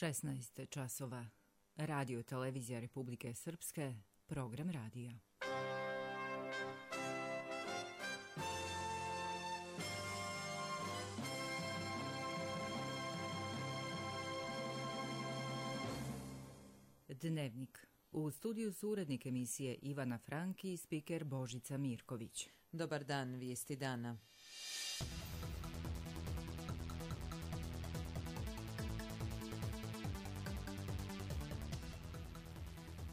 16 časova. Radio televizija Republike Srpske, program radija. Dnevnik. U studiju su urednik emisije Ivana Franki i spiker Božica Mirković. Dobar dan, vijesti dana.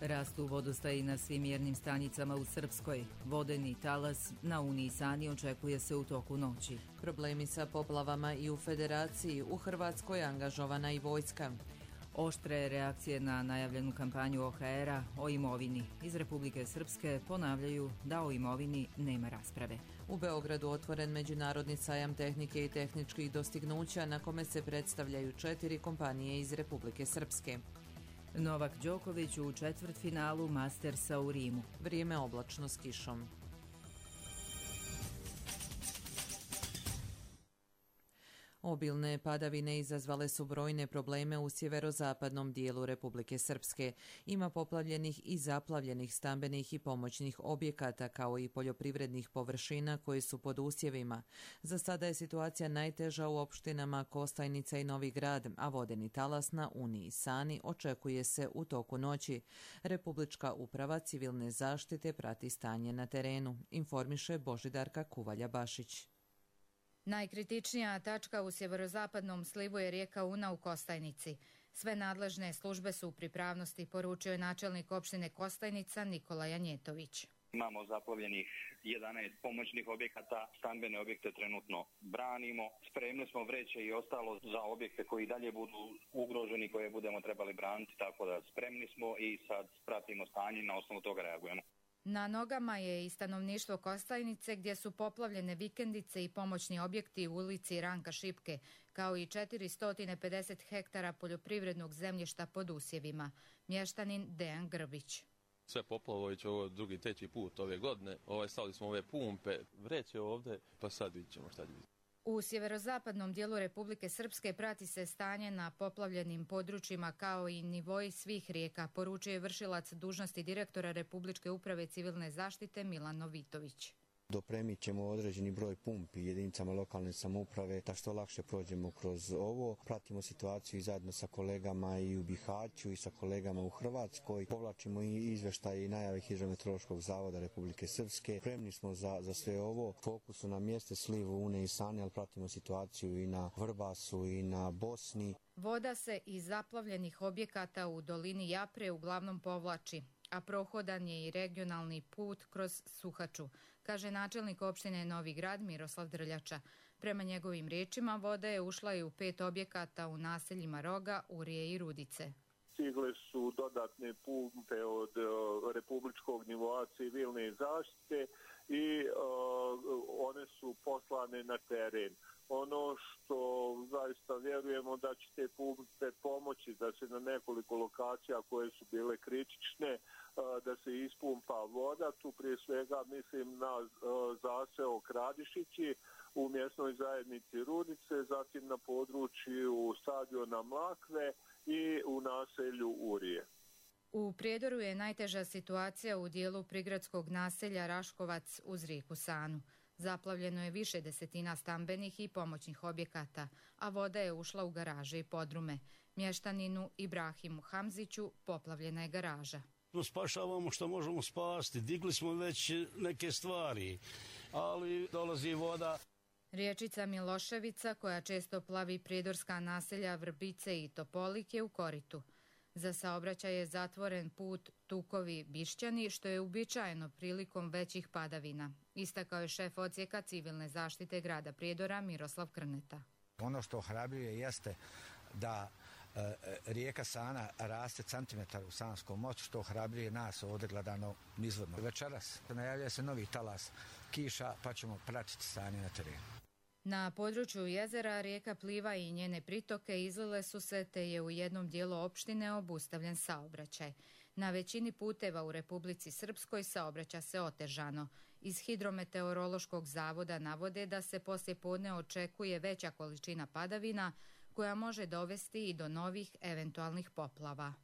Rastu vodostaji na svim mjernim stanicama u Srpskoj. Vodeni talas na Uniji Sani očekuje se u toku noći. Problemi sa poplavama i u Federaciji. U Hrvatskoj angažovana i vojska. Oštre reakcije na najavljenu kampanju OHR-a o imovini. Iz Republike Srpske ponavljaju da o imovini nema rasprave. U Beogradu otvoren međunarodni sajam tehnike i tehničkih dostignuća na kome se predstavljaju 4 kompanije iz Republike Srpske. Novak Đoković u četvrtfinalu Mastersa u Rimu. Vrijeme oblačno s kišom. Obilne padavine izazvale su brojne probleme u sjeverozapadnom dijelu Republike Srpske. Ima poplavljenih i zaplavljenih stambenih i pomoćnih objekata kao i poljoprivrednih površina koji su pod usjevima. Za sada je situacija najteža u opštinama Kostajnica i Novi Grad, a vodeni talas na Uniji Sani očekuje se u toku noći. Republička uprava civilne zaštite prati stanje na terenu, informiše Božidarka Kuvalja-Bašić. Najkritičnija tačka u sjeverozapadnom slivu je rijeka Una u Kostajnici. Sve nadležne službe su u pripravnosti, poručio je načelnik opštine Kostajnica Nikola Janjetović. Imamo zaplavljenih 11 pomoćnih objekata, stambene objekte trenutno branimo, spremni smo vreće i ostalo za objekte koji dalje budu ugroženi, koje budemo trebali braniti, tako da spremni smo i sad pratimo stanje i na osnovu toga reagujemo. Na nogama je i stanovništvo Kostajnice gdje su poplavljene vikendice i pomoćni objekti u ulici Ranka Šipke, kao i 450 hektara poljoprivrednog zemljišta pod usjevima. Mještanin Dejan Grbić. Sve poplavović, ovo drugi, treći put ove godine. Stavili smo ove pumpe, vreće ovdje, pa sad vidjet ćemo šta će biti. U sjeverozapadnom dijelu Republike Srpske prati se stanje na poplavljenim područjima kao i nivoji svih rijeka, poručuje je vršilac dužnosti direktora Republičke uprave civilne zaštite Milan Novitović. Dopremit ćemo određeni broj pumpi jedinicama lokalne samouprave da što lakše prođemo kroz ovo. Pratimo situaciju i zajedno sa kolegama i u Bihaću i sa kolegama u Hrvatskoj. Povlačimo i izveštaje i najave Hidrometeorološkog zavoda Republike Srpske. Spremni smo za sve ovo. Fokusu na mjeste slivu Une i Sani, ali pratimo situaciju i na Vrbasu i na Bosni. Voda se iz zaplavljenih objekata u dolini Japre uglavnom povlači, a prohodan je i regionalni put kroz Suhaču, kaže načelnik opštine Novi Grad Miroslav Drljača. Prema njegovim riječima, voda je ušla i u 5 objekata u naseljima Roga, Urije i Rudice. Stigle su dodatne pumpe od republičkog nivoa civilne zaštite i one su poslane na teren. Ono što zaista vjerujemo da će te pumpe pomoći da se na nekoliko lokacija koje su bile kritične da se ispumpa voda. Tu prije svega mislim na zaseok Radišići u mjesnoj zajednici Rudice, zatim na području stadiona Mlakve i u naselju Urije. U Prijedoru je najteža situacija u dijelu prigradskog naselja Raškovac uz rijeku Sanu. Zaplavljeno je više desetina stambenih i pomoćnih objekata, a voda je ušla u garaže i podrume. Mještaninu Ibrahimu Hamziću poplavljena je garaža. Spašavamo što možemo spasti, digli smo već neke stvari, ali dolazi voda. Riječica Miloševica, koja često plavi prijedorska naselja Vrbice i Topolik, je u koritu. Za saobraćaj je zatvoren put Tukovi-Bišćani, što je uobičajeno prilikom većih padavina, istakao je šef odsjeka civilne zaštite grada Prijedora Miroslav Krneta. Ono što ohrabruje jeste da rijeka Sana raste centimetar u Sanskom moću, što ohrabruje nas ovdje gledano nizvodno. Večeras najavljuje se novi talas kiša, pa ćemo pratiti stanje na terenu. Na području jezera rijeka Pliva i njene pritoke izlile su se, te je u jednom dijelu opštine obustavljen saobraćaj. Na većini puteva u Republici Srpskoj saobraća se otežano. Iz Hidrometeorološkog zavoda navode da se poslijepodne očekuje veća količina padavina koja može dovesti i do novih eventualnih poplava.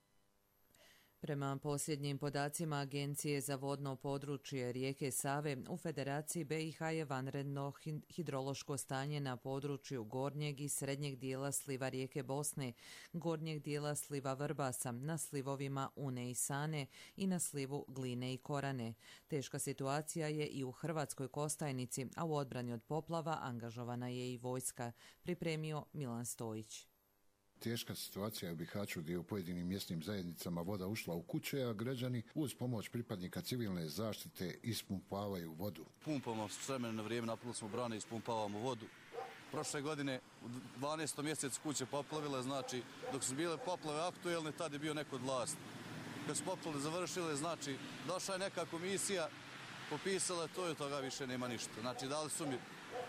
Prema posljednjim podacima Agencije za vodno područje rijeke Save, u Federaciji BiH je vanredno hidrološko stanje na području gornjeg i srednjeg dijela sliva rijeke Bosne, gornjeg dijela sliva Vrbasa, na slivovima Une i Sane i na slivu Gline i Korane. Teška situacija je i u Hrvatskoj Kostajnici, a u odbrani od poplava angažovana je i vojska, pripremio Milan Stojić. Teška situacija je u Bihaću gdje je u pojedinim mjesnim zajednicama voda ušla u kuće, a građani uz pomoć pripadnika civilne zaštite ispumpavaju vodu. Pumpamo s vremena na vrijeme, napunili smo brane i ispumpavamo vodu. Prošle godine u 12. mjesecu kuće poplavile, znači dok su bile poplave aktuelne, tad je bio neko od vlasti. Kad su poplave završile, znači došla je neka komisija, popisala to i od toga više nema ništa. Znači dali su mi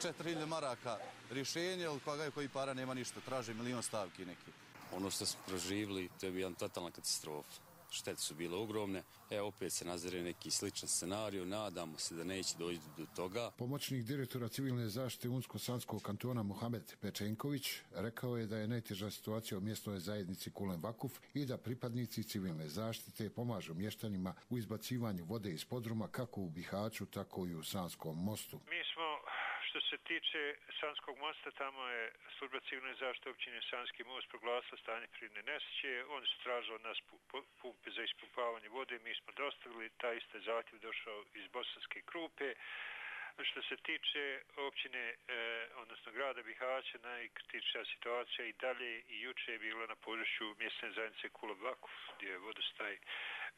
4.000 maraka rješenje, ali koji para nema ništa, traže milion stavki neki. Ono što smo proživjeli, to je bila totalna katastrofa. Štete su bile ogromne. Opet se nazire neki sličan scenarij, nadamo se da neće doći do toga. Pomoćnik direktora civilne zaštite Unsko-Sanskog kantona Muhamed Pečenković rekao je da je najteža situacija u mjesnoj zajednici Kulen Vakuf i da pripadnici civilne zaštite pomažu mještanima u izbacivanju vode iz podruma kako u Bihaću, tako i u Sanskom mostu. Što se tiče Sanskog mosta, tamo je služba civilne zaštite općine Sanski most proglasila stanje prirodne nesreće. Oni su tražili od nas pumpe za ispumpavanje vode, mi smo dostavili, taj isti zahtjev došao iz Bosanske Krupe. Što se tiče općine, odnosno grada Bihaća, najkritičnija situacija i dalje i juče je bila na području mjesne zajednice Kulen Vakuf, gdje je vodostaj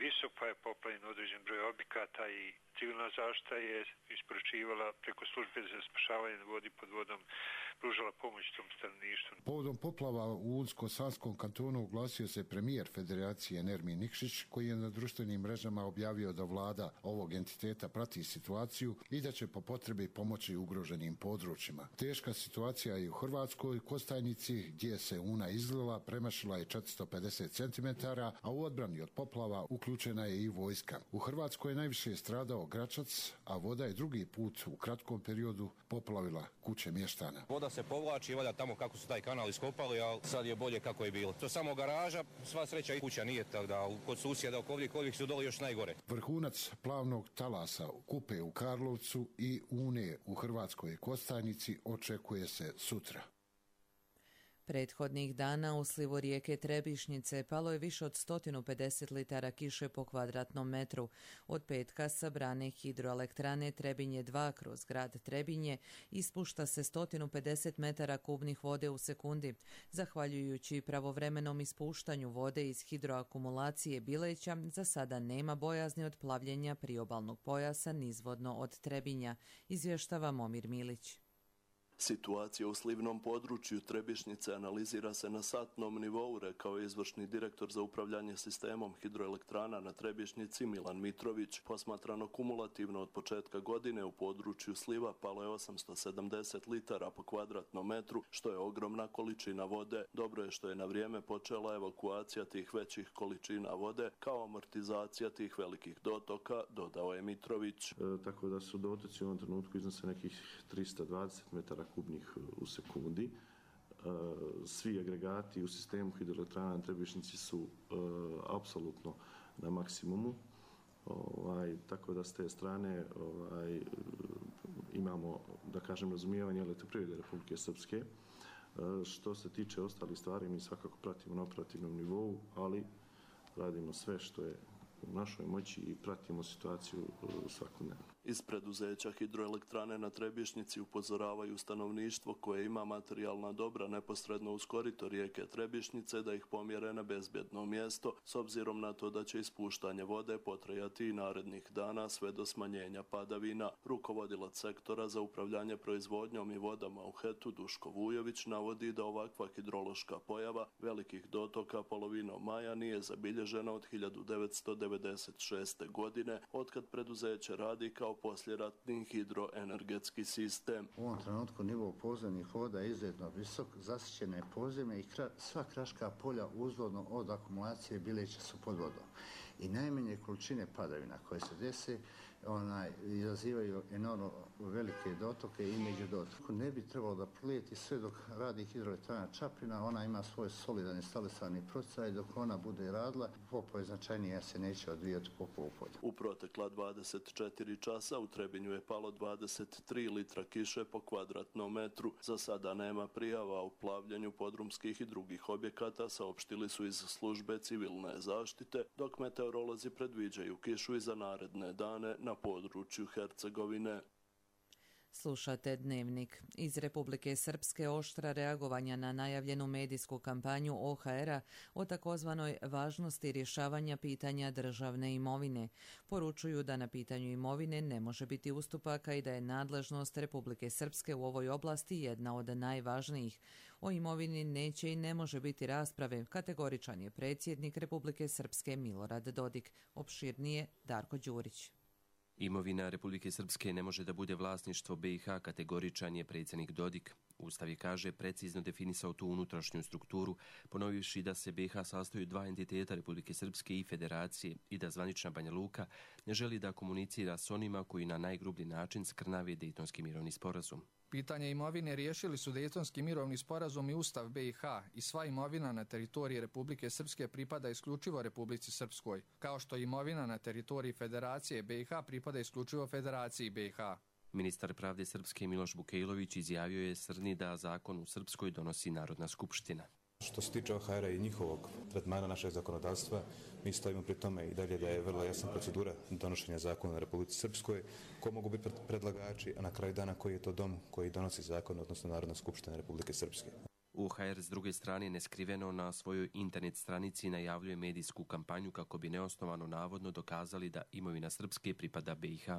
visok, pa je poplavljen određen broj objekata i civilna zaštita je isporučivala preko službe za spašavanje vodi pod vodom, pružala pomoć tom stanovništvu. Povodom poplava u Unsko-Sanskom kantonu oglasio se premijer Federacije Nermin Nikšić, koji je na društvenim mrežama objavio da vlada ovog entiteta prati situaciju i da će po potrebi pomoći ugroženim područjima. Teška situacija je u Hrvatskoj Kostajnici, gdje se Una izlila, premašila je 450 cm, a u odbrani od poplava uključena je i vojska. U Hrvatskoj je najviše stradao Gračac, a voda je drugi put u kratkom periodu poplavila kuće mještana. Voda se povlači, valja tamo kako su taj kanal iskopali, ali sad je bolje kako je bilo. To samo garaža, sva sreća i kuća nije, tako da kod susjeda ovih su dole još najgore. Vrhunac plavnog talasa Kupe u Karlovcu i Une u Hrvatskoj Kostajnici očekuje se sutra. Prethodnih dana u slivu rijeke Trebišnjice palo je više od 150 litara kiše po kvadratnom metru. Od petka sa brane hidroelektrane Trebinje 2 kroz grad Trebinje ispušta se 150 metara kubnih vode u sekundi. Zahvaljujući pravovremenom ispuštanju vode iz hidroakumulacije Bileća, za sada nema bojazni od plavljenja priobalnog pojasa nizvodno od Trebinja, izvještava Momir Milić. Situacija u slivnom području Trebišnjice analizira se na satnom nivou, rekao je izvršni direktor za upravljanje sistemom hidroelektrana na Trebišnjici Milan Mitrović. Posmatrano kumulativno od početka godine u području sliva palo je 870 litara po kvadratnom metru, što je ogromna količina vode. Dobro je što je na vrijeme počela evakuacija tih većih količina vode kao amortizacija tih velikih dotoka, dodao je Mitrović. Tako da su dotoci u ovom trenutku iznose nekih 320 metara kubnih u sekundi. Svi agregati u sistemu hidroelektrana na Trebišnjici su apsolutno na maksimumu. Tako da s te strane imamo, da kažem, razumijevanje Elektroprivrede Republike Srpske. Što se tiče ostalih stvari, mi svakako pratimo na operativnom nivou, ali radimo sve što je u našoj moći i pratimo situaciju svakodnevno. Iz preduzeća hidroelektrane na Trebišnjici upozoravaju stanovništvo koje ima materijalna dobra neposredno uz korito rijeke Trebišnjice da ih pomjere na bezbjedno mjesto, s obzirom na to da će ispuštanje vode potrajati i narednih dana sve do smanjenja padavina. Rukovodilac sektora za upravljanje proizvodnjom i vodama u HET-u Duško Vujović navodi da ovakva hidrološka pojava velikih dotoka polovinom maja nije zabilježena od 1996. godine, otkad preduzeće radi kao posljeratni hidroenergetski sistem. U ovom trenutku nivo podzemnih voda je izuzetno visok, zasićene podzemlje i sva kraška polja uzvodno od akumulacije Bileća su pod vodom. I najmanje količine padavina koje se dese izazivaju enormno velike dotoke i međudotoke. Ne bi trebalo da prijeti sve dok radi hidroelektrana Čapljina, ona ima svoj solidan instalisani procesaj, dok ona bude radila, poplave značajnije se neće odvijati poplavu polja. U protekla 24 časa u Trebinju je palo 23 litra kiše po kvadratnom metru. Za sada nema prijava o plavljenju podrumskih i drugih objekata, saopštili su iz službe civilne zaštite, dok meteorolozi predviđaju kišu i za naredne dane na području Hercegovine. Slušate Dnevnik. Iz Republike Srpske oštra reagovanja na najavljenu medijsku kampanju OHR-a o takozvanoj važnosti rješavanja pitanja državne imovine. Poručuju da na pitanju imovine ne može biti ustupaka i da je nadležnost Republike Srpske u ovoj oblasti jedna od najvažnijih. O imovini neće i ne može biti rasprave, kategoričan je predsjednik Republike Srpske Milorad Dodik. Opširnije Darko Đurić. Imovina Republike Srpske ne može da bude vlasništvo BiH, kategoričan je predsjednik Dodik. Ustav je, kaže, precizno definisao tu unutrašnju strukturu, ponovivši da se BiH sastoji od dva entiteta Republike Srpske i Federacije i da zvanična Banja Luka ne želi da komunicira s onima koji na najgrublji način skrnave Dejtonski mirovni sporazum. Pitanje imovine riješili su Dejtonski mirovni sporazum i Ustav BiH i sva imovina na teritoriji Republike Srpske pripada isključivo Republici Srpskoj, kao što imovina na teritoriji Federacije BiH pripada isključivo Federaciji BiH. Ministar pravde Srpske Miloš Bukejlović izjavio je Srni da zakon u Srpskoj donosi Narodna skupština. Što se tiče OHR-a i njihovog tretmana našeg zakonodavstva, mi stojimo pri tome i dalje da je vrlo jasna procedura donošenja zakona na Republici Srpskoj, ko mogu biti predlagači, a na kraju dana koji je to dom koji donosi zakon, odnosno Narodna skupština Republike Srpske. OHR s druge strane neskriveno na svojoj internet stranici najavljuje medijsku kampanju kako bi neosnovano navodno dokazali da imovina Srpske pripada BiH.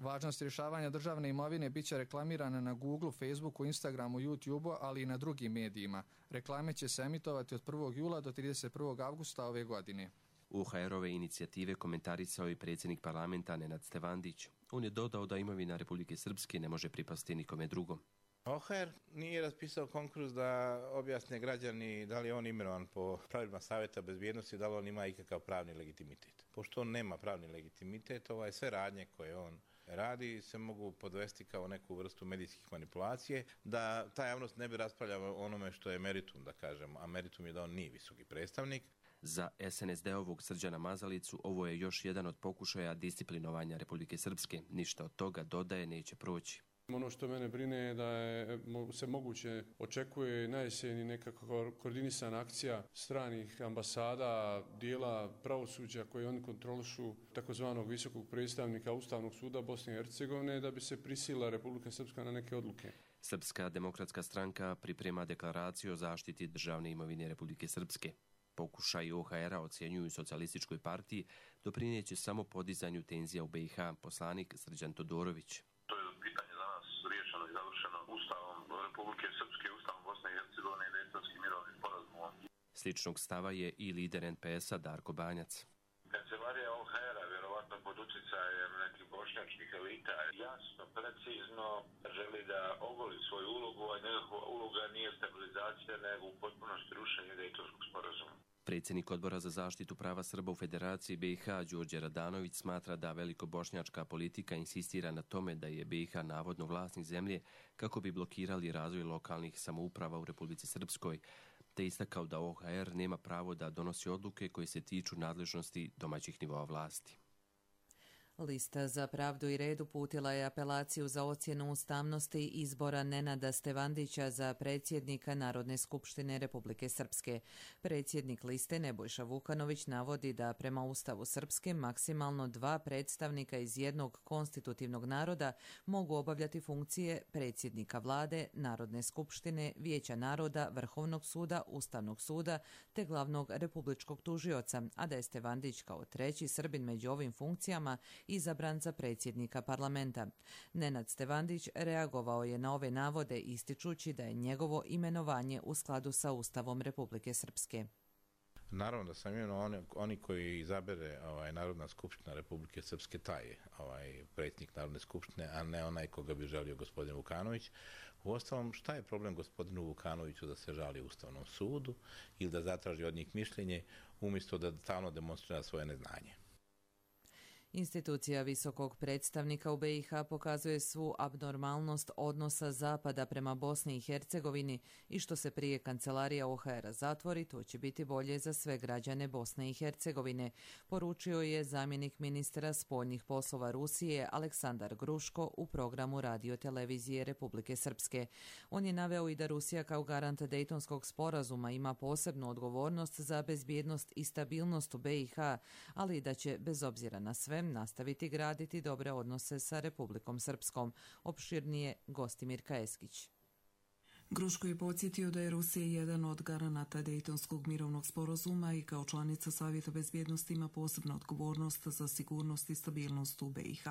Važnost rješavanja državne imovine biće reklamirana na Google, Facebooku, Instagramu, YouTubeu, ali i na drugim medijima. Reklame će se emitovati od 1. jula do 31. avgusta ove godine. OHR-ove inicijative komentarisao i predsjednik parlamenta Nenad Stevandić. On je dodao da imovina Republike Srpske ne može pripasti nikome drugom. OHR nije raspisao konkurs da objasne građani da li je on imenovan po pravilima Savjeta bezbjednosti, da li on ima ikakav pravni legitimitet. Pošto on nema pravni legitimitet, sve radnje koje on radi se mogu podvesti kao neku vrstu medijskih manipulacije, da ta javnost ne bi raspravljala onome što je meritum, da kažem, a meritum je da on nije visoki predstavnik. Za SNSD-ovog Srđana Mazalicu ovo je još jedan od pokušaja disciplinovanja Republike Srpske. Ništa od toga, dodaje, neće proći. Ono što mene brine je da se moguće očekuje na jeseni nekakva koordinisana akcija stranih ambasada, dijela pravosuđa koje oni kontrolišu, takozvanog visokog predstavnika Ustavnog suda Bosne i Hercegovine, da bi se prisila Republika Srpska na neke odluke. Srpska demokratska stranka priprema deklaraciju o zaštiti državne imovine Republike Srpske. Pokušaj OHR-a ocjenjuju socijalističkoj partiji doprineće samo podizanju tenzija u BiH, poslanik Srđan Todorović. Republike Srpske, Ustavom Bosne i Hercegovine i Dejtonskim mirovnim sporazumom. Sličnog stava je i lider NPS-a Darko Banjac. Kancelarija OHR-a, vjerovatno pod utjecajem nekih bošnjačkih elita, jasno, precizno želi da ogoli svoju ulogu, a njegova uloga nije stabilizacija, nego u potpunosti rušenje Dejtonskog sporazuma. Predsjednik Odbora za zaštitu prava Srba u Federaciji BiH Đorđe Radanović smatra da velikobošnjačka politika insistira na tome da je BiH navodno vlasnik zemlje kako bi blokirali razvoj lokalnih samouprava u Republici Srpskoj, te istakao da OHR nema pravo da donosi odluke koje se tiču nadležnosti domaćih nivoa vlasti. Lista za pravdu i red uputila je apelaciju za ocjenu ustavnosti izbora Nenada Stevandića za predsjednika Narodne skupštine Republike Srpske. Predsjednik liste Nebojša Vukanović navodi da prema Ustavu Srpske maksimalno 2 predstavnika iz jednog konstitutivnog naroda mogu obavljati funkcije predsjednika vlade, Narodne skupštine, Vijeća naroda, Vrhovnog suda, Ustavnog suda te glavnog republičkog tužioca, a da je Stevandić kao treći Srbin među ovim funkcijama izabran za predsjednika parlamenta. Nenad Stevandić reagovao je na ove navode ističući da je njegovo imenovanje u skladu sa Ustavom Republike Srpske. Naravno da sam imenovan, oni koji izabere Narodna skupština Republike Srpske, taj je predsjednik Narodne skupštine, a ne onaj koga bi želio gospodin Vukanović. Uostalom, šta je problem gospodinu Vukanoviću da se žali Ustavnom sudu ili da zatraži od njih mišljenje umjesto da stalno demonstrira svoje neznanje? Institucija visokog predstavnika u BiH pokazuje svu abnormalnost odnosa Zapada prema Bosni i Hercegovini i što se prije kancelarija OHR-a zatvori, to će biti bolje za sve građane Bosne i Hercegovine, poručio je zamjenik ministra spoljnih poslova Rusije Aleksandar Gruško u programu radiotelevizije Republike Srpske. On je naveo i da Rusija kao garant Dejtonskog sporazuma ima posebnu odgovornost za bezbjednost i stabilnost u BiH, ali i da će, bez obzira na sve, nastaviti graditi dobre odnose sa Republikom Srpskom. Opširnije Gostimir Kaeskić. Gruško je podsjetio da je Rusija jedan od garanata Dejtonskog mirovnog sporazuma i kao članica Savjeta bezbjednosti ima posebnu odgovornost za sigurnost i stabilnost u BiH.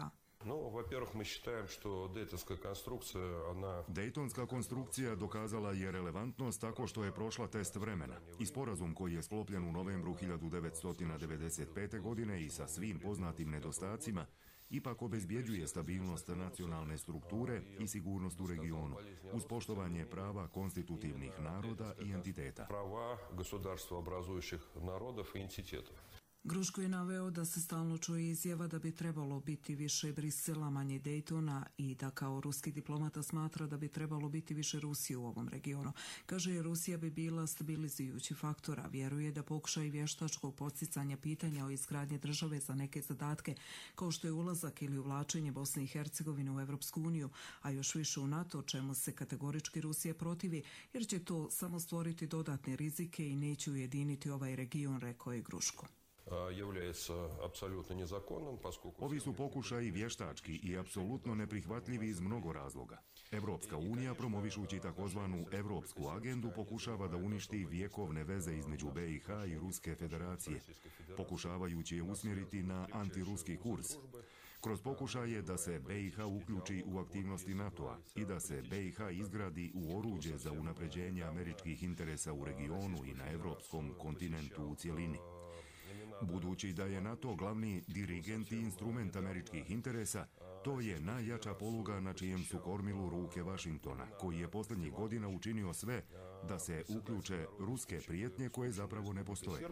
Dejtonska konstrukcija dokazala je relevantnost tako što je prošla test vremena i sporazum koji je sklopljen u novembru 1995. godine i sa svim poznatim nedostacima ipak obezbjeđuje stabilnost nacionalne strukture i sigurnost u regionu uz poštovanje prava konstitutivnih naroda i entiteta. Gruško je naveo da se stalno čuje izjava da bi trebalo biti više Brisela, manje Dejtona i da kao ruski diplomata smatra da bi trebalo biti više Rusije u ovom regionu. Kaže, Rusija bi bila stabilizujući faktor, a vjeruje da pokušaj vještačkog podsticanja pitanja o izgradnji države za neke zadatke, kao što je ulazak ili uvlačenje Bosne i Hercegovine u Evropsku uniju, a još više u NATO, čemu se kategorički Rusija protivi, jer će to samo stvoriti dodatne rizike i neće ujediniti ovaj region, rekao je Gruško. Ovi su pokušaji vještački i apsolutno neprihvatljivi iz mnogo razloga. Evropska unija, promovišući takozvanu Evropsku agendu, pokušava da uništi vjekovne veze između BiH i Ruske federacije, pokušavajući je usmjeriti na antiruski kurs. Kroz pokušaje da se BiH uključi u aktivnosti NATO-a i da se BiH izgradi u oruđe za unapređenje američkih interesa u regionu i na evropskom kontinentu u cjelini. Budući da je NATO glavni dirigent i instrument američkih interesa, to je najjača poluga na čijem su kormilu ruke Vašingtona, koji je posljednjih godina učinio sve da se uključe ruske prijetnje koje zapravo ne postoje.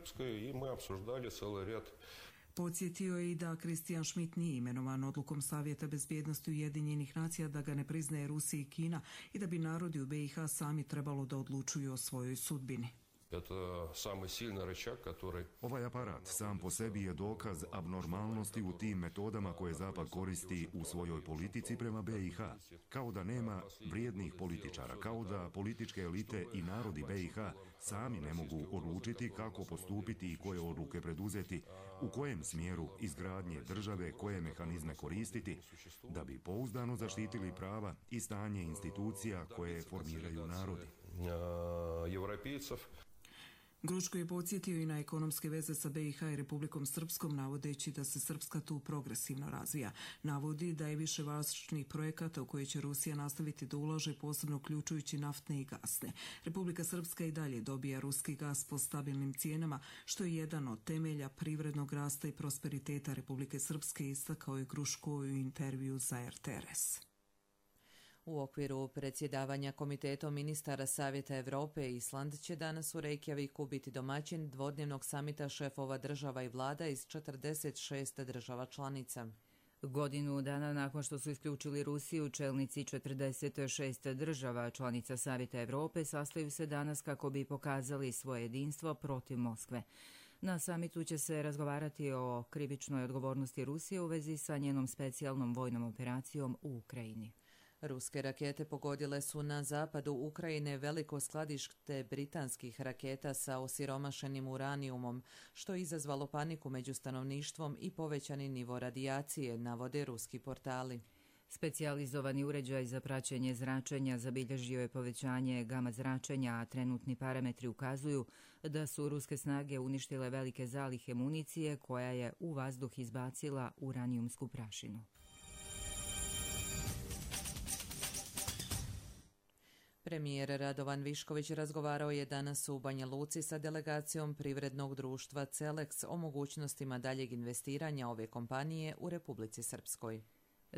Podsjetio je i da Christian Schmidt nije imenovan odlukom Savjeta bezbjednosti Ujedinjenih nacija da ga ne priznaje Rusija i Kina i da bi narodi u BiH sami trebalo da odlučuju o svojoj sudbini. Ovaj aparat sam po sebi je dokaz abnormalnosti u tim metodama koje Zapad koristi u svojoj politici prema BiH. Kao da nema vrijednih političara, kao da političke elite i narodi BiH sami ne mogu odlučiti kako postupiti i koje odluke preduzeti, u kojem smjeru izgradnje države, koje mehanizme koristiti, da bi pouzdano zaštitili prava i stanje institucija koje formiraju narodi. Gruško je podsjetio i na ekonomske veze sa BiH i Republikom Srpskom, navodeći da se Srpska tu progresivno razvija. Navodi da je više važnih projekata u koje će Rusija nastaviti da ulaže, posebno uključujući naftne i gasne. Republika Srpska i dalje dobija ruski gas po stabilnim cijenama, što je jedan od temelja privrednog rasta i prosperiteta Republike Srpske, istakao je Gruško u intervju za RTRS. U okviru predsjedavanja Komitetom ministara Savjeta Europe, Island će danas u Reykjaviku biti domaćin dvodnevnog samita šefova država i vlada iz 46 država članica. Godinu dana nakon što su isključili Rusiju, čelnici 46 država članica Savjeta Europe sastaju se danas kako bi pokazali svoje jedinstvo protiv Moskve. Na samitu će se razgovarati o krivičnoj odgovornosti Rusije u vezi sa njenom specijalnom vojnom operacijom u Ukrajini. Ruske rakete pogodile su na zapadu Ukrajine veliko skladište britanskih raketa sa osiromašenim uranijumom, što je izazvalo paniku među stanovništvom i povećani nivo radijacije, navode ruski portali. Specijalizovani uređaj za praćenje zračenja zabilježio je povećanje gama zračenja, a trenutni parametri ukazuju da su ruske snage uništile velike zalihe municije koja je u vazduh izbacila uranijumsku prašinu. Premijer Radovan Višković razgovarao je danas u Banja Luci sa delegacijom privrednog društva Celex o mogućnostima daljeg investiranja ove kompanije u Republici Srpskoj.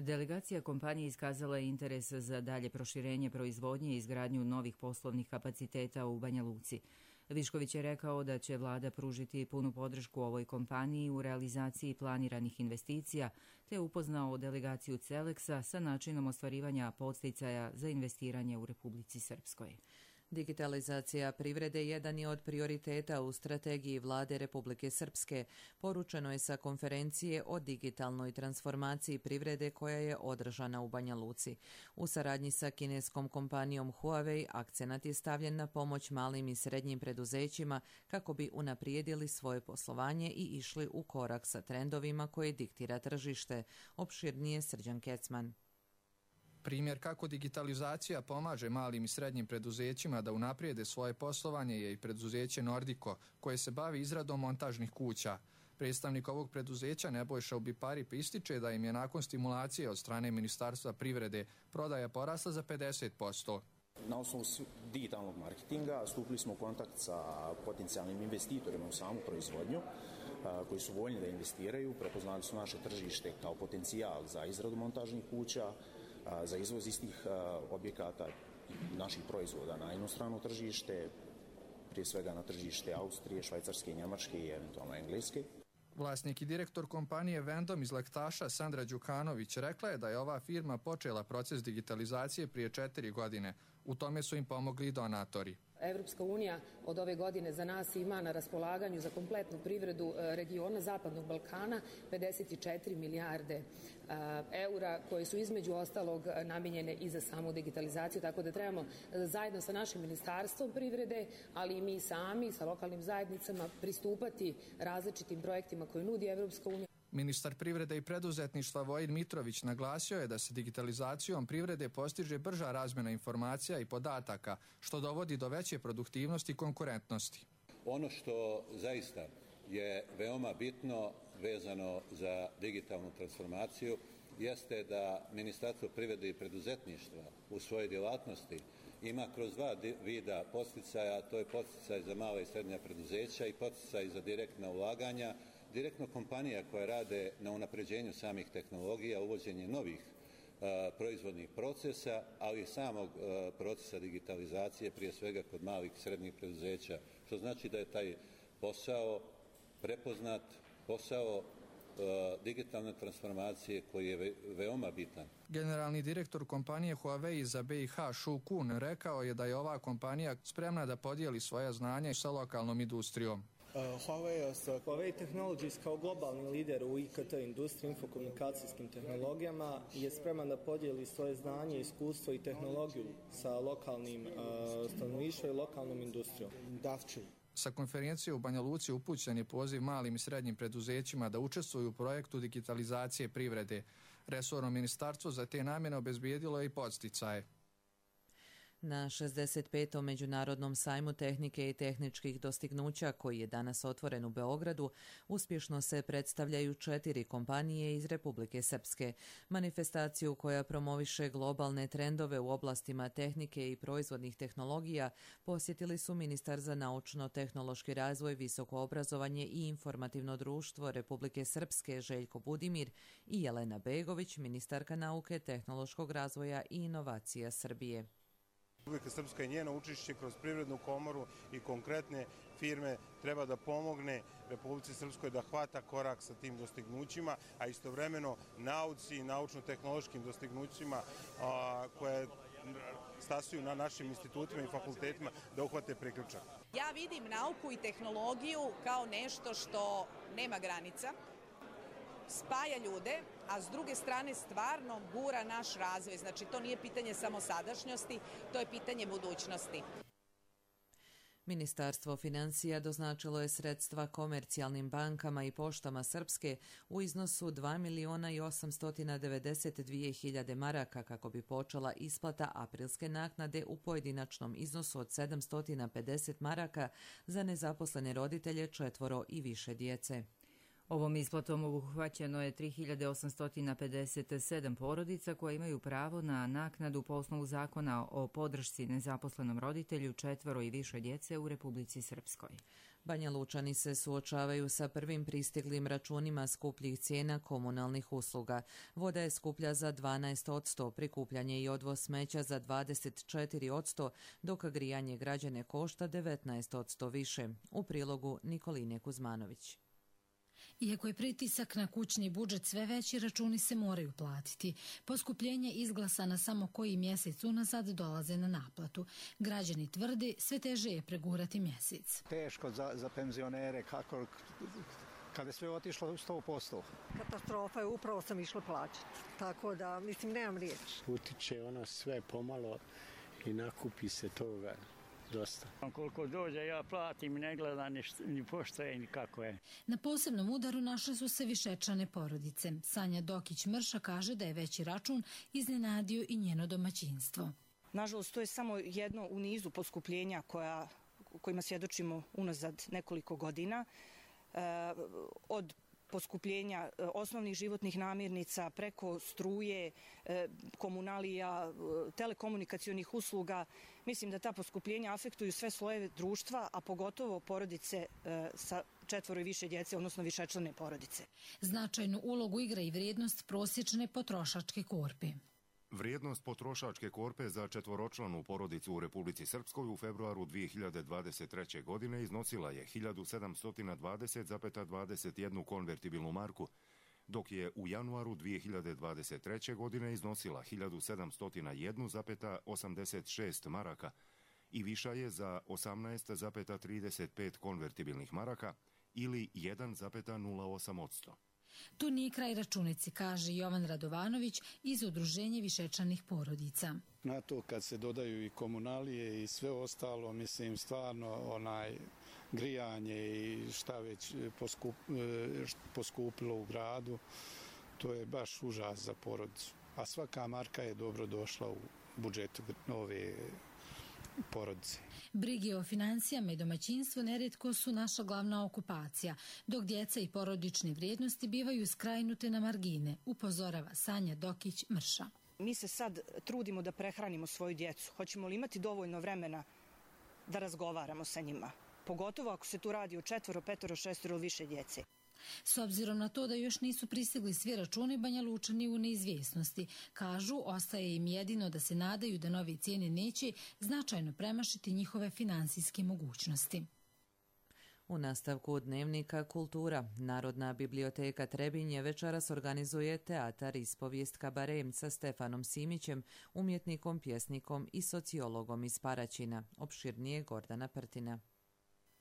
Delegacija kompanije iskazala je interes za dalje proširenje proizvodnje i izgradnju novih poslovnih kapaciteta u Banja Luci. Višković je rekao da će vlada pružiti punu podršku ovoj kompaniji u realizaciji planiranih investicija, te upoznao delegaciju Celeksa sa načinom ostvarivanja podsticaja za investiranje u Republici Srpskoj. Digitalizacija privrede jedan je od prioriteta u strategiji vlade Republike Srpske, poručeno je sa konferencije o digitalnoj transformaciji privrede koja je održana u Banja Luci. U saradnji sa kineskom kompanijom Huawei akcenat je stavljen na pomoć malim i srednjim preduzećima kako bi unaprijedili svoje poslovanje i išli u korak sa trendovima koje diktira tržište. Opširnije Srđan Kecman. Primjer kako digitalizacija pomaže malim i srednjim preduzećima da unaprijede svoje poslovanje je i preduzeće Nordiko, koje se bavi izradom montažnih kuća. Predstavnik ovog preduzeća Nebojša Ubiparip ističe da im je nakon stimulacije od strane Ministarstva privrede prodaja porasla za 50%. Na osnovu digitalnog marketinga stupili smo u kontakt sa potencijalnim investitorima u samu proizvodnju, koji su voljni da investiraju, prepoznali su naše tržište kao potencijal za izradu montažnih kuća, za izvoz istih objekata naših proizvoda na inostrano tržište, prije svega na tržište Austrije, Švajcarske, Njemačke i eventualno Engleske. Vlasnik i direktor kompanije Vendom iz Lektaša Sandra Đukanović rekla je da je ova firma počela proces digitalizacije prije 4 godine. U tome su im pomogli i donatori. Evropska unija od ove godine za nas ima na raspolaganju za kompletnu privredu regiona Zapadnog Balkana 54 milijarde eura koje su između ostalog namijenjene i za samu digitalizaciju, tako da trebamo zajedno sa našim ministarstvom privrede, ali i mi sami sa lokalnim zajednicama pristupati različitim projektima koje nudi Evropska unija. Ministar privrede i preduzetništva Vojin Mitrović naglasio je da se digitalizacijom privrede postiže brža razmjena informacija i podataka, što dovodi do veće produktivnosti i konkurentnosti. Ono što zaista je veoma bitno vezano za digitalnu transformaciju jeste da Ministarstvo privrede i preduzetništva u svojoj djelatnosti ima kroz dva vida podsticaja, to je podsticaj za mala i srednja preduzeća i podsticaj za direktna ulaganja, direktno kompanija koja rade na unapređenju samih tehnologija, uvođenje novih proizvodnih procesa, ali i samog procesa digitalizacije, prije svega kod malih i srednjih preduzeća, što znači da je taj posao prepoznat, posao digitalne transformacije koji je veoma bitan. Generalni direktor kompanije Huawei za BiH Shu Kun rekao je da je ova kompanija spremna da podijeli svoja znanja sa lokalnom industrijom. Huawei Technologies kao globalni lider u IKT industriji, infokomunikacijskim tehnologijama je spreman da podijeli svoje znanje, iskustvo i tehnologiju sa lokalnim stanovništvom i lokalnom industrijom. Sa konferencije u Banja Luci upućen je poziv malim i srednjim preduzećima da učestvuju u projektu digitalizacije privrede. Resorno ministarstvo za te namjene obezbijedilo je i podsticaje. Na 65. Međunarodnom sajmu tehnike i tehničkih dostignuća, koji je danas otvoren u Beogradu, uspješno se predstavljaju 4 kompanije iz Republike Srpske. Manifestaciju koja promoviše globalne trendove u oblastima tehnike i proizvodnih tehnologija posjetili su ministar za naučno-tehnološki razvoj, visoko obrazovanje i informativno društvo Republike Srpske Željko Budimir i Jelena Begović, ministarka nauke, tehnološkog razvoja i inovacija Srbije. Republika Srpska i njeno učešće kroz privrednu komoru i konkretne firme treba da pomogne Republici Srpskoj da hvata korak sa tim dostignućima, a istovremeno nauci i naučno-tehnološkim dostignućima koje stasuju na našim institutima i fakultetima da uhvate priključak. Ja vidim nauku i tehnologiju kao nešto što nema granica, spaja ljude, a s druge strane stvarno gura naš razvoj. Znači, to nije pitanje samo sadašnjosti, to je pitanje budućnosti. Ministarstvo financija doznačilo je sredstva komercijalnim bankama i poštama Srpske u iznosu 2.892.000 maraka kako bi počela isplata aprilske naknade u pojedinačnom iznosu od 750 maraka za nezaposlene roditelje 4 i više djece. Ovom isplatom obuhvaćeno je 3.857 porodica koje imaju pravo na naknadu po osnovu zakona o podršci nezaposlenom roditelju 4 i više djece u Republici Srpskoj. Banja Lučani se suočavaju sa prvim pristiglim računima skupljih cijena komunalnih usluga. Voda je skuplja za 12%, prikupljanje i odvoz smeća za 24%, dok grijanje građane košta 19% više. U prilogu Nikoline Kuzmanović. Iako je pritisak na kućni budžet sve veći, računi se moraju platiti. Poskupljenje izglasana samo koji mjesec unazad dolaze na naplatu. Građani tvrdi sve teže je pregurati mjesec. Teško za penzionere, kako kada je sve otišlo 100%. Katastrofa je, upravo sam išla plaćati, tako da mislim nemam riječ. Utiče ono sve pomalo i nakupi se toga. Dosta. Koliko dođe ja platim i ne gledam ni poštoje ni kako je. Na posebnom udaru našle su se višečlane porodice. Sanja Dokić-Mrša kaže da je veći račun iznenadio i njeno domaćinstvo. Nažalost, to je samo jedno u nizu poskupljenja kojima svjedočimo unazad nekoliko godina. Od poskupljenja osnovnih životnih namirnica preko struje, komunalija, telekomunikacionih usluga. Mislim da ta poskupljenja afektuju sve slojeve društva, a pogotovo porodice sa 4 i više djece, odnosno višečlane porodice. Značajnu ulogu igra i vrijednost prosječne potrošačke korpe. Vrijednost potrošačke korpe za četvoročlanu porodicu u Republici Srpskoj u februaru 2023. godine iznosila je 1720,21 konvertibilnu marku, dok je u januaru 2023. godine iznosila 1701,86 maraka i viša je za 18,35 konvertibilnih maraka ili 1,08%. Tu nije kraj računici, kaže Jovan Radovanović iz Udruženja višečlanih porodica. Na to kad se dodaju i komunalije i sve ostalo, mislim stvarno grijanje i šta već poskupilo u gradu, to je baš užas za porodicu. A svaka marka je dobro došla u budžetu ove porodice. Brige o financijama i domaćinstvu nerijetko su naša glavna okupacija, dok djeca i porodične vrijednosti bivaju skrajnute na margine, upozorava Sanja Dokić-Mrša. Mi se sad trudimo da prehranimo svoju djecu. Hoćemo li imati dovoljno vremena da razgovaramo sa njima? Pogotovo ako se tu radi o 4, 5, 6 ili više djece. S obzirom na to da još nisu pristigli svi računi, Banja Lučani u neizvjesnosti. Kažu, ostaje im jedino da se nadaju da nove cijene neće značajno premašiti njihove finansijske mogućnosti. U nastavku dnevnika Kultura, Narodna biblioteka Trebinje večeras organizuje teatar ispovijest Kabare sa Stefanom Simićem, umjetnikom, pjesnikom i sociologom iz Paraćina. Opširnije Gordana Prtina.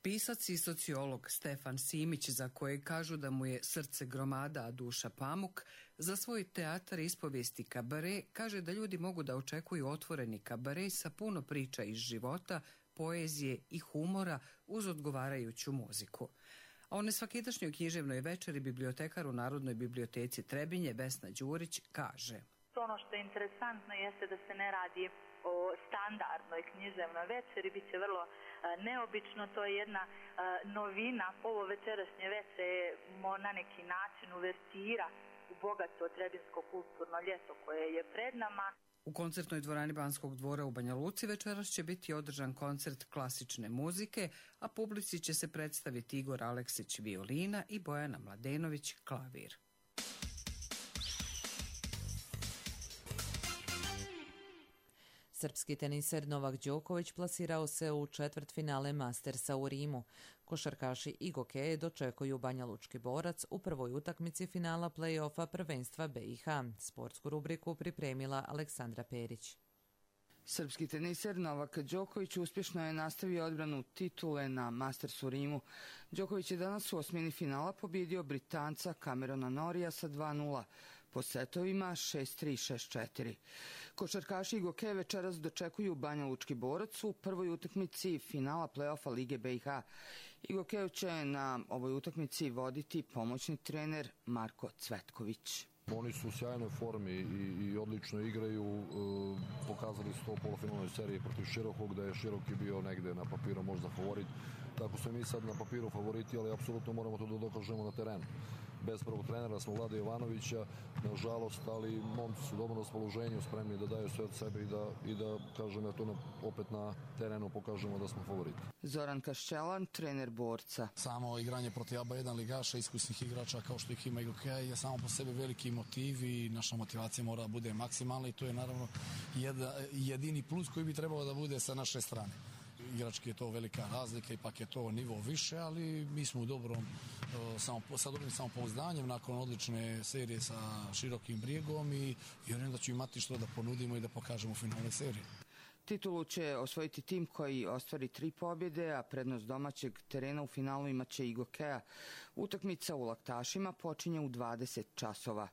Pisac i sociolog Stefan Simić, za kojeg kažu da mu je srce gromada, a duša pamuk, za svoj teatar ispovijesti Kabare kaže da ljudi mogu da očekuju otvoreni kabare sa puno priča iz života, poezije i humora uz odgovarajuću muziku. A o nesvakidašnjoj književnoj večeri bibliotekar u Narodnoj biblioteci Trebinje Vesna Đurić kaže: Ono što je interesantno jeste da se ne radi o standardnoj književnoj večeri, bit će vrlo neobično, to je jedna novina. Ovo večerašnje večer je na neki način uvertira u bogato trebinsko kulturno ljeto koje je pred nama. U koncertnoj dvorani Banskog dvora u Banja Luci večeras će biti održan koncert klasične muzike, a publici će se predstaviti Igor Aleksić violina i Bojana Mladenović klavir. Srpski teniser Novak Đoković plasirao se u četvrtfinale Mastersa u Rimu. Košarkaši i gokeje dočekuju Banja Lučki Borac u prvoj utakmici finala play-offa prvenstva BiH. Sportsku rubriku pripremila Aleksandra Perić. Srpski teniser Novak Đoković uspješno je nastavio odbranu titule na Mastersu u Rimu. Đoković je danas u osmini finala pobjedio Britanca Camerona Norrija sa 2:0. Po setovima 6-3, 6-4. Košarkaši i gokeje večeras dočekuju Banja Lučki Borac u prvoj utakmici finala play-offa Lige BiH. I gokeju će na ovoj utakmici voditi pomoćni trener Marko Cvetković. Oni su u sjajnoj formi i odlično igraju. Pokazali su to u polufinalnoj seriji protiv Širokog, da je Široki bio negde na papiru možda favorit. Tako smo mi sad na papiru favoriti, ali apsolutno moramo to da dokažemo na terenu. Bez prvog trenera smo Vlade Jovanovića, nažalost, ali momci su dobro na raspoloženju, spremni da daju sve od sebe i da kažem, opet na terenu pokažemo da smo favoriti. Zoran Kašćelan, trener Borca. Samo igranje protiv ABA1 ligaša, iskusnih igrača kao što ih ima IGK je samo po sebi veliki motiv i naša motivacija mora da bude maksimalna i to je naravno jedini plus koji bi trebalo da bude sa naše strane. Igrački je to velika razlika, ipak je to nivo više, ali mi smo u sa dobrim samopouzdanjem nakon odlične serije sa Širokim Brijegom i vjerujem da ću imati što da ponudimo i da pokažemo u finalnoj seriji. Titulu će osvojiti tim koji ostvari 3 pobjede, a prednost domaćeg terena u finalu imaće IGK-a. Utakmica u Laktašima počinje u 20 časova.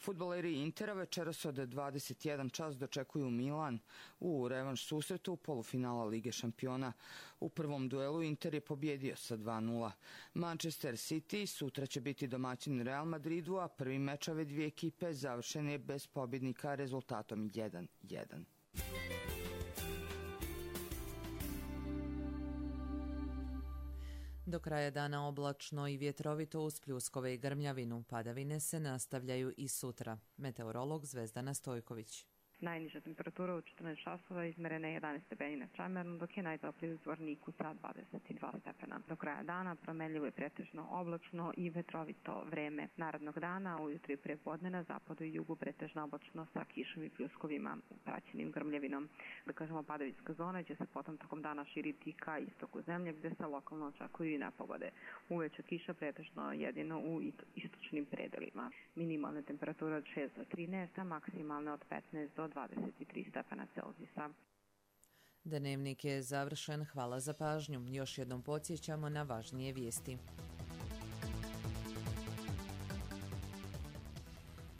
Fudbaleri Intera večeras od 21 čas dočekuju Milan u revanš susretu polufinala Lige šampiona. U prvom duelu Inter je pobjedio sa 2:0. Manchester City sutra će biti domaćin Real Madridu, a prvi meč ove dvije ekipe završen je bez pobjednika rezultatom 1:1. Do kraja dana oblačno i vjetrovito uz pljuskove i grmljavinu. Padavine se nastavljaju i sutra. Meteorolog Zvezdana Stojković. Najniža temperatura u 14 časova izmerena je 11 stepeni na Čamernu, dok je najtopliji u Zvorniku sa 22 stepena. Do kraja dana promenljivo je pretežno oblačno i vetrovito vreme. Narednog dana ujutro i prepodne na zapadu i jugu pretežno oblačno sa kišom i pljuskovima praćenim grmljavinom. Da kažemo, padavinska zona će se potom tokom dana širiti ka istoku zemlje gdje se lokalno očekuju i nepogode. Uveče kiša pretežno jedino u istočnim predelima. Minimalne temperature od 6 do 13, a maksimalne od 15 do 23 stepena Celzijusa. Dnevnik je završen. Hvala za pažnju. Još jednom podsjećamo na važnije vijesti.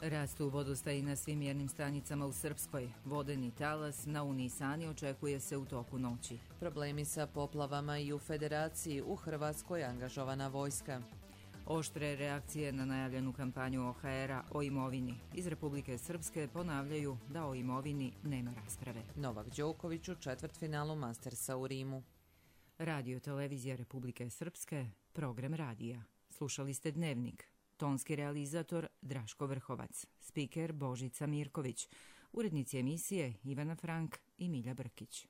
Rastu vodostaji na svim mjernim stanicama u Srpskoj. Vodeni talas na Unisani očekuje se u toku noći. Problemi sa poplavama i u Federaciji. U Hrvatskoj angažovana vojska. Oštre reakcije na najavljenu kampanju OHR-a o imovini. Iz Republike Srpske ponavljaju da o imovini nema rasprave. Novak Đoković u četvrtfinalu Mastersa u Rimu. Radio Televizija Republike Srpske, program radija. Slušali ste Dnevnik. Tonski realizator Draško Vrhovac. Spiker Božica Mirković. Urednici emisije Ivana Frank i Milja Brkić.